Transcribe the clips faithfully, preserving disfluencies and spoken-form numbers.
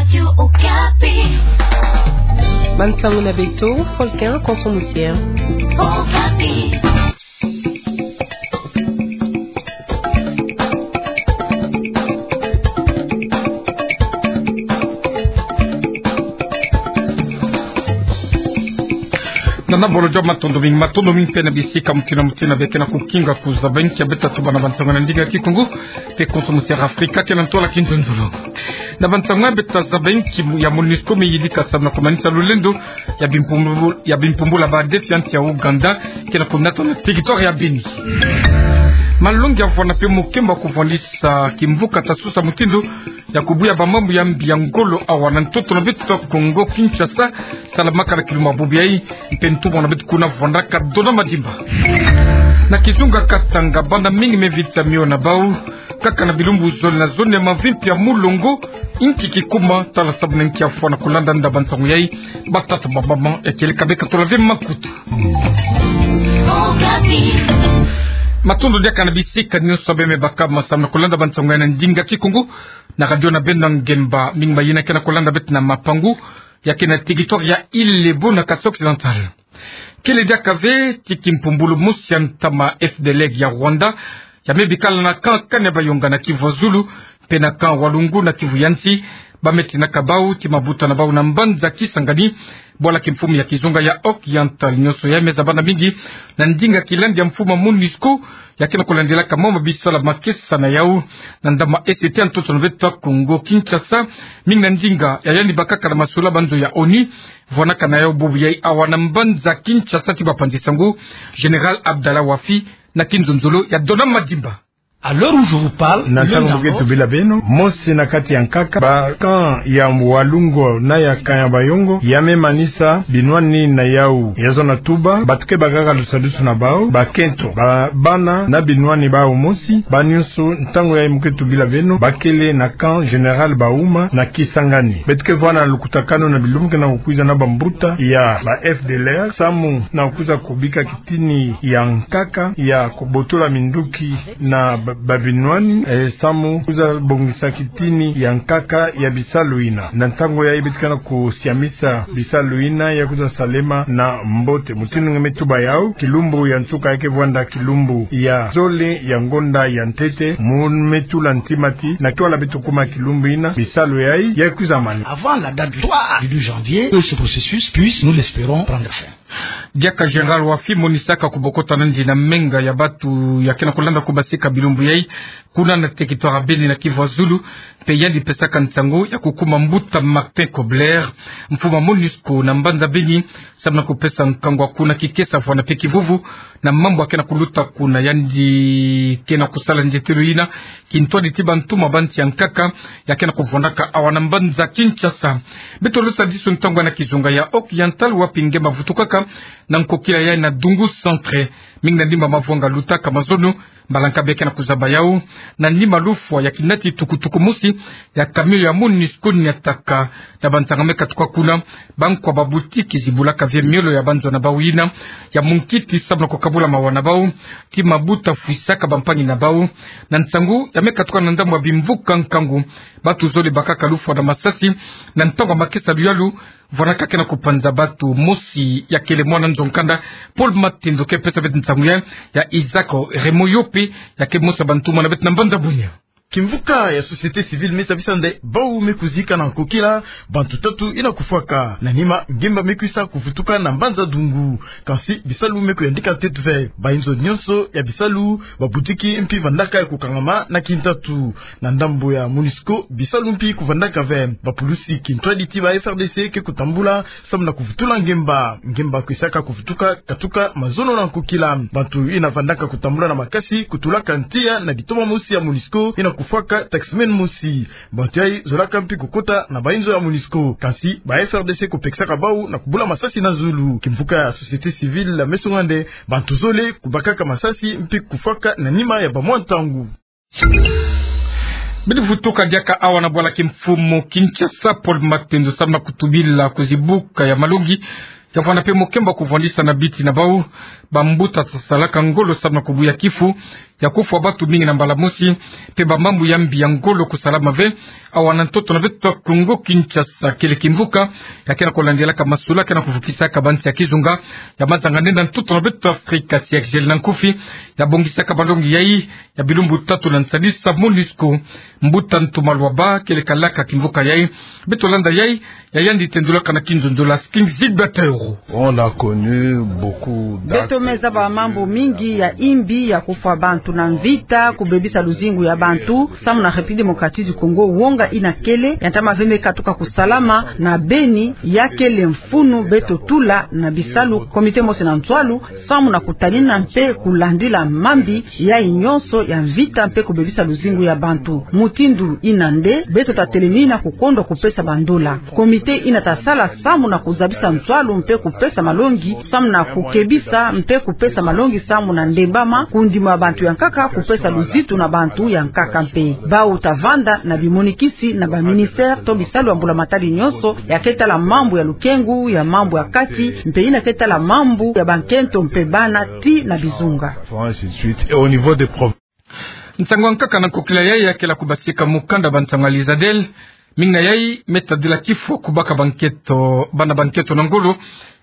Radio Okapi. Bansango na beto, Volcan Konso Musier. Okapi. Nana bolo job, matondo mingi, matondo mingi mpe na bisika mutino mutino beke na kukinga kuzaba inki ya beta tuba na bansango na ndinga Kikongo, mpe Konso Musier Afrika, kena ntwala kinzonzolo. Na bansango ya beta zaba inki ya MONUSCO me yidika samu na kumanisa lulendo ya bimpumbul-, ya bimpumbula ba ADF ya nsi ya Ouganda, kena kunata na territoire ya Beni. Malongi ya vwanda mpe mokembo ya kuvwandisa kimvuka ta susa mutindu ya kubuya ba mambu ya mbi ya ngolo awa na ntoto na beto Kongo Kinshasa, salamaka na kilumbu ya bubu yayi, mpe ntumwa na beto kuna vwandaka Donat Madimba. Na kizunga Katanga, bana mingi me vita mio na bau, kaka na bilumbu zole na zole, mavimpi ya mulongo, inki kikuma, tala samu na inki ya fwa na kulanda nda bansango yayi, batata, bamama, ya kieleka beka tola ve makutu. Matondo diaka na bisika nyonso beno me baka samu na kulanda bansango ya na ndinga Kikongo, na radio na beno na ngemba, mingi mayina ke na kulanda beto na Mapangu, ya ke na territoire ya Île Lebon na Kasaï Occidental. Kele diaka ve ti kimpumbulu mosi ya ntama F D L R ya Rwanda, ya me bikala na camp Kanyabayonga na Kivu ya Zulu, mpe na camp Walungu na Kivu ya Nsi, ba me tinaka bau ti mabuta na bau na mbanza Kisangani, bwala kimfumu ya kizunga ya Occidental. Nyonso ya me zaba na mingi na ndinga kilandi ya mfumu ya MONUSCO, ya ke na kulandilaka mama bisalu ma kesa na yau, na ndama S T ya ntoto na beto Kongo Kinshasa, mingi na ndinga ya yandi bakaka na masula banzo ya ONU, vwanaka na yau bubu yayi awa na mbanza Kinshasa ti bapanzi sango, Général Abdallah Wafi, na kinzonzolo ya Donat Madimba. À l'heure où je vous parle, na ntango mu ke tubila beno, mosi na kati ya nkaka, ba camp ya Walungu na ya Kanyabayonga, ya me manisa binwani na yau. Ya zona tuba, bato ke bakaka lusadusu na bau, bakento, ba bana na binwani bau mosi, ba nyonso, ntango yayi mu ke tubila beno, bakele na camp Général Bauma na Kisangani. Beto ke vwanda na lukutakanu na bilumbu ke na kukwiza na bambuta ya ba F D L R, samu na kukwiza kubika kitini ya nkaka ya kubotola minduki na ba-, babinwani, eh, samu kwiza bongisa kitini ya nkaka ya bisalu yina. Na ntango yayi beto ke na kusiamisa bisalu yina ya kwiza salema na mbote. Mutindu nge me tuba yau, kilumbu ya nsuka ya ke vwanda kilumbu ya zole ya ngonda ya ntete, mu me tula ntima ti na kiwala beto kuma kilumbu yina, bisalu yayi ya kwiza mani. Avant la date du trois du douze janvier, que ce processus puisse, nous l'espérons, prendre fin. Diaka Général Wafi monisaka kubokota nandi na menga ya bato ya ke na kulanda kubasika bilumbu yayi, kuna na territoire ya Beni na Kivu ya Zulu, mpe yandi pesaka nsangu ya kukuma mbuta Martin Kobler, mfumu ya MONUSCO na mbanza Beni, samu na kupesa nkangu kuna kikesa, vwanda mpe kivuvu na mambu ya ke na kuluta kuna. Yandi ke na kusala nzietelo yina kintwadi ti bantumwa ba nsi ya nkaka ya ke na kuvwandaka awa na mbanza Kinshasa. Beto lusa disu ntangu na kizunga ya Occidental, wapi nge mavutukaka na nkokila ya na Dungu Centre. Mingi na nima mavwanga lutaka mazono, mbalanka beke na kuzaba yau, na nima lufwa ya kinati tukutuku mosi ya camion ya MONUSCO niataka. Na banzanga me katuka kuna, bankwa ba boutique zibulaka ve miolo ya banzo na bau yina ya munkiti, samu na kukabula mawa na bau, ti mabuta fwisaka bampangi na bau. Na nsangu ya me katuka na ndambu ya bimvuka nkangu, bato zole bakaka lufwa na masasi na ntangu ya makesa luyalu, vwanaka ke na kupanza bato. Mosi ya kele mwana nzo nkanda, Paul Matendo, ke pesa beto nsangu ya, ya Isaac Remoyope, ya ke mosi ya bantumwa na beto na mbanza Bunia. Kimvuka ya société civile me sabisa nde bau me kuzika na nkokila bantu tatu yina kufwaka. Na nima, ngemba me kwisa kuvutuka na mbanza Dungu. Kansi bisalu me kuyandika ntete ve. Bayinzo nyonso ya bisalu, babutiki mpi vandaka ya kukangama na kintatu. Na ndambu ya MONUSCO, bisalu mpi kuvandaka ve. Bapulusi kintwadi ti ba F R D C ke kutambula samu na kuvutula ngemba. Ngemba kwisaka kuvutuka katuka mazono na nkokila. Bantu yina vandaka kutambula na makasi kutulaka ntia na bitoma mosi ya MONUSCO yina kufwaka taximan mosi. Bantu yayi zolaka mpi kukota na bayinzo ya MONUSCO. Kansi ba F R D C kupekisaka bau na kubula masasi na zulu. Kimvuka ya société civile me songa nde bantu zole kubakaka masasi mpi kufwaka na nima ya bamwa ntangu. Bidi vutuka diaka awa na bwala kimfumu Kinshasa, Paul Matendo, samu na kutubila kuzibuka ya malongi ya vwanda mpe mokembo kuvwandisa na biti na bau bambuta sasalaka ngolo samu na kubuya kifu ya kufwa bantu mingi na mbala mosi, mpe bamambu ya mbi ya ngolo kusalama ve awa na ntoto na beto Kongo Kinshasa. Kele kimvuka ya ke na kulandilaka masolo ke na kuvukisaka bansi ya kizunga ya mazanga nde na ntoto na beto Afrika, siège na nkufi ya bongisaka malongi yai ya bilumbu tatu na nsadisa MONUSCO. Mbuta Ntuma Luaba kele kalaka kimvuka yai. Beto landa yai, ya yandi tendulaka na kinzonzolo. King Gilbert Euro. On a connu beaucoup d'actes. Beto me zaba mambu mingi ya imbi ya kufwa bantu na mvita, kubebisa luzingu ya bantu, samu na République Démocratique du Congo, wonga ina kele, ya ntama ve me katuka kusalama na Beni, ya kele mfunu beto tula na bisalu, comité mosi na nswalu, samu na kutalina mpe kulandila mambi yai nyonso ya mvita mpe kubebisa luzingu ya bantu. Mutindu ina nde beto tatelemina kukondwa kupesa bandola. Comité ina tasala samu na kuzabisa nswalu mpe kupesa malongi, samu na kukebisa mpe kupesa malongi samu na ndembama, kundima ya bantu ya nkaka, kupesa luzitu na bantu ya nkaka mpe. Bau tavanda na bimonikisi na ba ministère to bisalu ya mbula matadi nyonso, ya ke tala mambu ya lukengu, ya mambu ya kati, mpe ina ke tala mambu ya bankento mpe bana ti na bizunga. Ainsi de suite. Et au niveau des provinces. Nsangu ya nkaka na nkokila yai ya kela kubasika mukanda ba nsangu ya Lizadel. Mingi na yai me tadila kifwa kubaka bankento, bana bankento na ngolo,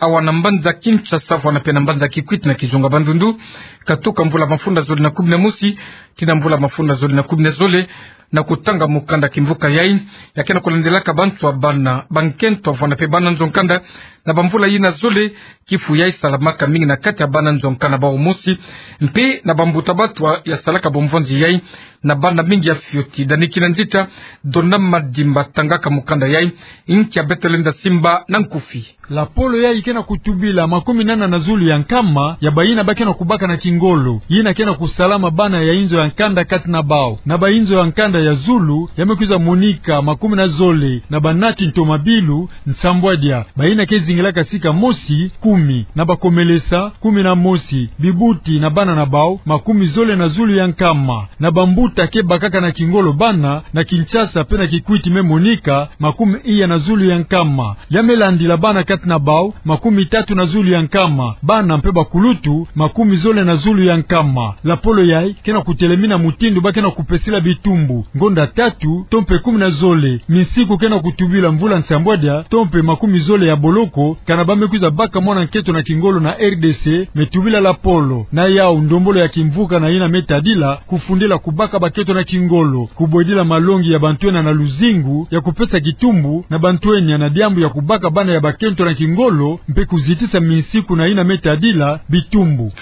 awa na mbanza Kinshasa, fwana mpe na mbanza Kikwit na kizunga Bandundu, katuka mvula mafunda zole na kumi na mosi tii na mvula mafunda zole na kumi na zole, na kutanga mukanda kimvuka yai, ya ke na kulandilaka banswa bana bankento, fwana mpe bana nzo-nkanda, na bamvula ina zole. Kifu yai salamaka mingi na kati ya bana nzo-nkanda bau mosi, mpe na bambuta-bato ya salaka bomvonzi yai na bana mingi ya fioti. Dani Kinanzita, Dona Madimba tangaka mukanda yai, nki ya beto lenda simba na nkufi. Lapolo yai ke na kutubila makumi nana na zulu ya nkama ya baina ba ke na kubaka na kingolo, ina ke na kusalama bana ya inzo ya nkanda kati na bau. Na ba inzo ya nkanda ya zulu, ya me kwiza monika makumi na zole na banati ntomabilu nsambwadia, baina ke zingilaka sika mosi, kumi, na bakomelesa, kumi na mosi, bibuti na bana na bau, makumi zole na zulu ya nkama. Na bambuta ke bakaka na kingolo bana, na Kinshasa mpe na Kikwit me monika makumi iya na zulu ya nkama. Ya me landila bana kati na bau, makumi tatu na zulu ya nkama. Bana mpe bakulutu, makumi zole na zulu ya nkama. Lapolo yai ke na kutelemina mutindu ba ke na kupesila bitumbu, ngonda tatu, to mpe kumi na zole, minsiku ke na kutubila mvula nsambwadia, to mpe makumi zole ya boloko, kana ba me kwiza baka mwana nkento na kingolo na R D C, me tubila lapolo. Na yau ndombolo ya kimvuka na ina me tadila, kufundila kubaka bankento na kingolo, kubwedila malongi ya bantu ena na luzingu, ya kupesa kitumbu na bantu ena na diambu ya kubaka bana ya bankento na kingolo, mpe kuzitisa minsiku na ina me tadila bitumbu.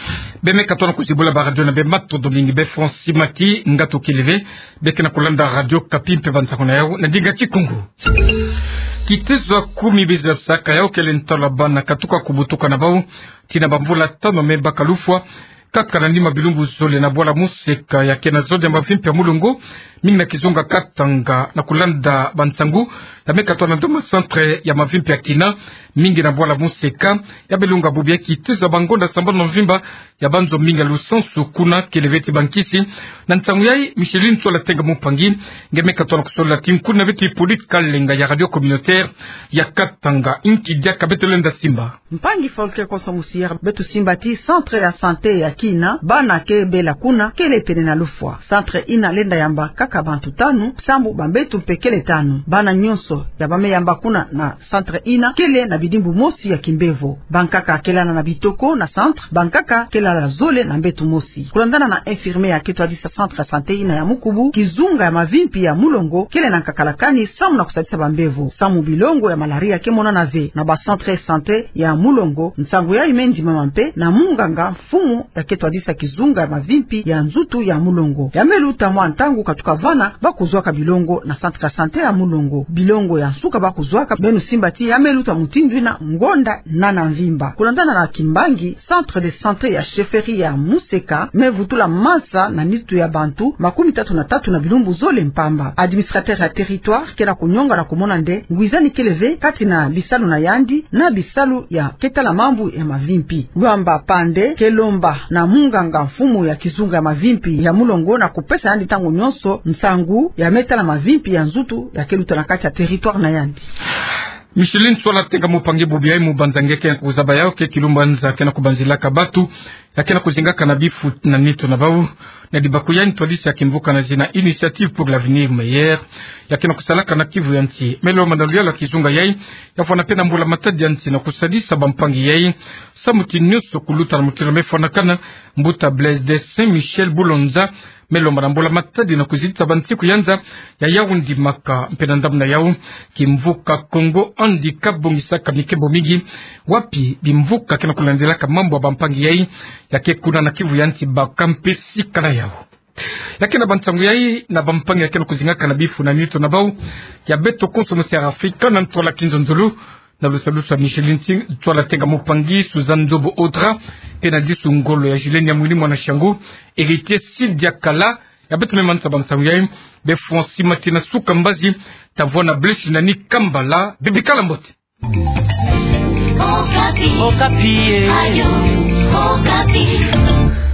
Be me katona kuzibula ba radio na be, matondo mingi be Francis Maki, ngatu kele ve, be ke na kulanda Radio Okapi mpe bansangu na yau na ndinga Kikongo. Kitezo ya kumi bizi ya saka yau kele ntwala bana katuka kubutuka na bau, tii na bamvula tanu me baka lufwa, kaka na nima bilumbu zole na bwala Moseka ya ke na zole ya mavimpi ya mulongo, mingi na kizunga Katanga, na kulanda bansangu ya me katona nde ma centre ya mavimpi ya Kina, mingi na bwala Moseka, ya me lunga bubu ya kitezo ya bangonda sambanu na mvimba, ya banzo mingi ya lusansu kuna, kele ve ti bankisi. Na nsangu yai, Micheline Sola Tenga Mumpangi nge me katona kusola tii nkuna beto Hippolyte Kalenga ya Radio Communautaire ya Katanga. Nki diaka beto lenda simba. Mpangi Folke Konso Musier, beto simba tii centre ya santé ya Kina, bana ke bela kuna, kele pene na lufwa. Centre ina lenda yamba kaka bantu tanu, sambu bambeto mpe kele tanu. Bana nyonso ya ba me yamba kuna na centre ina kele na bidimbu mosi ya kimbevo. Bankaka kele na bitoko na centre, bankaka kele zole na mbeto mosi. Kulandana na infirmier ya ke twadisa centre ya santé ina ya Mukubu, kizunga ya mavimpi ya mulongo kele na nkakalakani samu na kusadisa bambevo, samu bilongo ya malaria ke monana ve. Na ba centre ya santé ya mulongo, nsangu yai me ndimama mpe na munganga mfumu ya ke twadisa kizunga ya mavimpi ya nzutu ya mulongo. Ya me luta mwa ntangu katuka vana ba kuzwaka bilongo na centre ya santé ya mulongo. Bilongo ya nsuka ba kuzwaka, beno simba tii ya me luta mutindu ina ngonda nana mvimba. Kulandana na kimbangi, centre de santé ya chefferie ya Moseka me vutula masa na nitu ya bantu makumi tatu na tatu na bilumbu zole mpamba. Administrateur ya territoire ke na kunyonga na kumona nde ngwizani kele ve kati na bisalu na yandi na bisalu ya ke tala mambu ya mavimpi. Lwamba Pande ke lomba na munganga mfumu ya kizunga ya mavimpi ya mulongo na kupesa yandi ntangu nyonso nsangu ya me tala mavimpi ya nzutu ya ke luta na kati ya territoire na yandi. Micheline Ntsoila Tenga Mupangi, bubu yayi mubanza nge ke na kuzaba yawu ke kilumbanza ke na kubanzilaka batu ya ke na kuzingaka na bifu na nitu na bawu. Na dibaku yayi, ntwadisi ya kimvuka na zina Initiative pour l'Avenir Meilleur ya ke na kusalaka na kivu ya nsi me lomba na luyalu ya kizunga yayi ya vwanda mpe na mbula-matadi ya nsi na kusadisa bampangi yayi samu ti nionso kuluta na mutindu me fwanakana. Mbuta Blaise de Saint Michel Boulonza me lomba na mbula-matadi na kuzitisa bansiku ya nza ya yawu ndimaka. Mpe na ndambu na yawu, kimvuka Congo Handicap kabongisaka mikembo mingi wapi bimvuka ke na kulandilaka mambu ya bampangi yayi ya ke kuna na kivu ya nsi baka mpe sika na yawu. Ya ke na bansangu yayi na bampangi ya ke na kuzingaka na bifu na nitu na bawu ya beto konso mu Sierra Afrika, na ntwala kinzonzolo na lusalusu ya Micheline Ntsoila Tenga Mupangi, Suzanne Nzobo Audra, mpe na disu ngolo ya Julienne Yamwini, mwana Shangu, Héritier Sidia Kala, ya beto me manusa bansangu yayi. Befwa nsi mati na suka mbazi, ta vwanda blesi na ni kambala, bebikala mbote. Okapi. Okapi, eh. Radio Okapi.